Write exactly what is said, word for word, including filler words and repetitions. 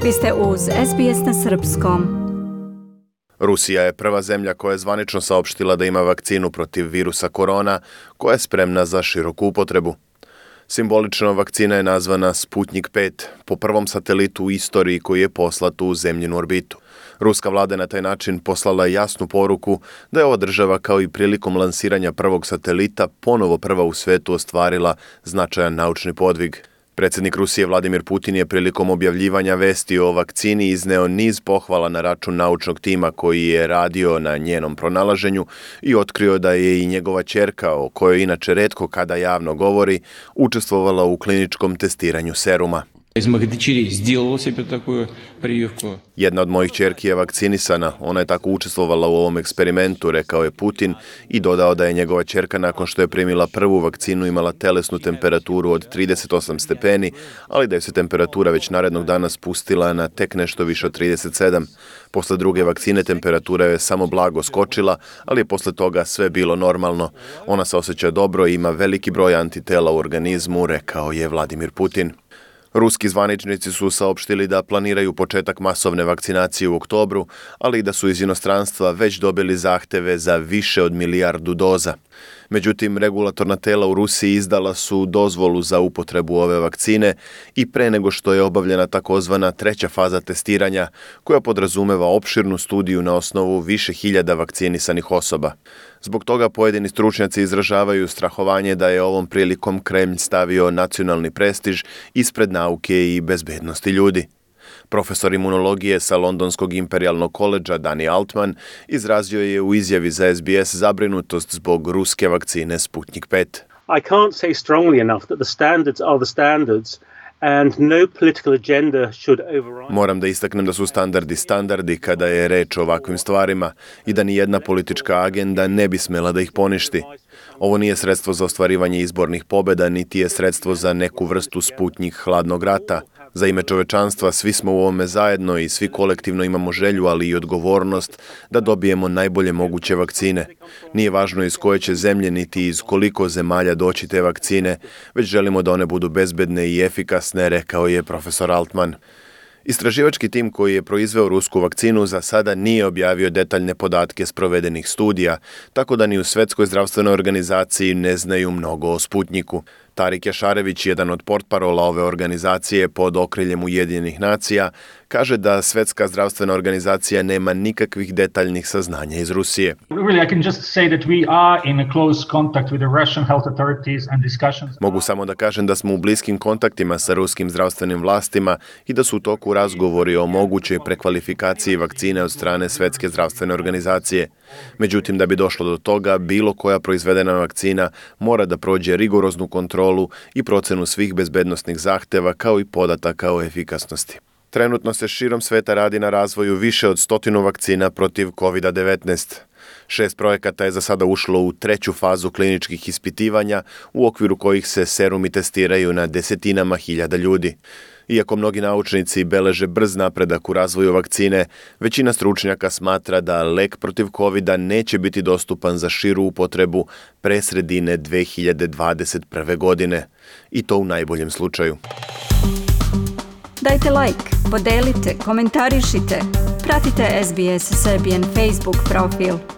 Vi ste uz S B S na srpskom. Rusija je prva zemlja koja je zvanično saopštila da ima vakcinu protiv virusa korona, koja je spremna za široku upotrebu. Simbolično vakcina je nazvana Sputnik pet, po prvom satelitu u istoriji koji je poslat u zemljinu orbitu. Ruska vlada je na taj način poslala jasnu poruku da je ova država kao i prilikom lansiranja prvog satelita ponovo prva u svetu ostvarila značajan naučni podvig. Predsjednik Rusije Vladimir Putin je prilikom objavljivanja vesti o vakcini izneo niz pohvala na račun naučnog tima koji je radio na njenom pronalaženju i otkrio da je i njegova ćerka, o kojoj inače retko kada javno govori, učestvovala u kliničkom testiranju seruma. Jedna od mojih ćerki je vakcinisana, ona je tako učestvovala u ovom eksperimentu, rekao je Putin i dodao da je njegova ćerka nakon što je primila prvu vakcinu imala telesnu temperaturu od trideset osam stepeni, ali da je se temperatura već narednog dana spustila na tek nešto više od trideset sedam. Posle druge vakcine temperatura je samo blago skočila, ali je posle toga sve bilo normalno. Ona se osjeća dobro i ima veliki broj antitela u organizmu, rekao je Vladimir Putin. Ruski zvaničnici su saopštili da planiraju početak masovne vakcinacije u oktobru, ali i da su iz inostranstva već dobili zahteve za više od milijardu doza. Međutim, regulatorna tela u Rusiji izdala su dozvolu za upotrebu ove vakcine i pre nego što je obavljena takozvana treća faza testiranja, koja podrazumeva opširnu studiju na osnovu više hiljada vakcinisanih osoba. Zbog toga pojedini stručnjaci izražavaju strahovanje da je ovom prilikom Kremlj stavio nacionalni prestiž ispred nauke i bezbednosti ljudi. Profesor imunologije sa Londonskog imperijalnog koledža Danny Altman izrazio je u izjavi za S B S zabrinutost zbog ruske vakcine Sputnik pet. I can't say strongly enough that the standards are the standards. And no political agenda should override. Moram da istaknem da su standardi standardi kada je reč o ovakvim stvarima i da ni jedna politička agenda ne bi smela da ih poništi. Ovo nije sredstvo za ostvarivanje izbornih pobjeda, niti je sredstvo za neku vrstu Sputnik hladnog rata. Za ime čovečanstva svi smo u ovome zajedno i svi kolektivno imamo želju, ali i odgovornost da dobijemo najbolje moguće vakcine. Nije važno iz koje će zemlje niti iz koliko zemalja doći te vakcine, već želimo da one budu bezbedne i efikasne, rekao je profesor Altman. Istraživački tim koji je proizveo rusku vakcinu za sada nije objavio detaljne podatke sprovedenih studija, tako da ni u Svetskoj zdravstvenoj organizaciji ne znaju mnogo o Sputniku. Tarik Jašarević, jedan od portparola ove organizacije pod okriljem Ujedinjenih nacija, kaže da Svetska zdravstvena organizacija nema nikakvih detaljnih saznanja iz Rusije. Mogu samo da kažem da smo u bliskim kontaktima sa ruskim zdravstvenim vlastima i da su u toku razgovori o mogućoj prekvalifikaciji vakcine od strane Svetske zdravstvene organizacije. Međutim, da bi došlo do toga, bilo koja proizvedena vakcina mora da prođe rigoroznu kontrolu i procenu svih bezbednosnih zahteva kao i podataka o efikasnosti. Trenutno se širom sveta radi na razvoju više od stotinu vakcina protiv kovid devetnaest. Šest projekata je za sada ušlo u treću fazu kliničkih ispitivanja, u okviru kojih se serumi testiraju na desetinama hiljada ljudi. Iako mnogi naučnici beleže brz napredak u razvoju vakcine, većina stručnjaka smatra da lek protiv kovida neće biti dostupan za širu upotrebu pre sredine dve hiljade dvadeset prve. godine. I to u najboljem slučaju. Dajte like, podelite, komentarišite. Pratite S B S Serbian Facebook profil.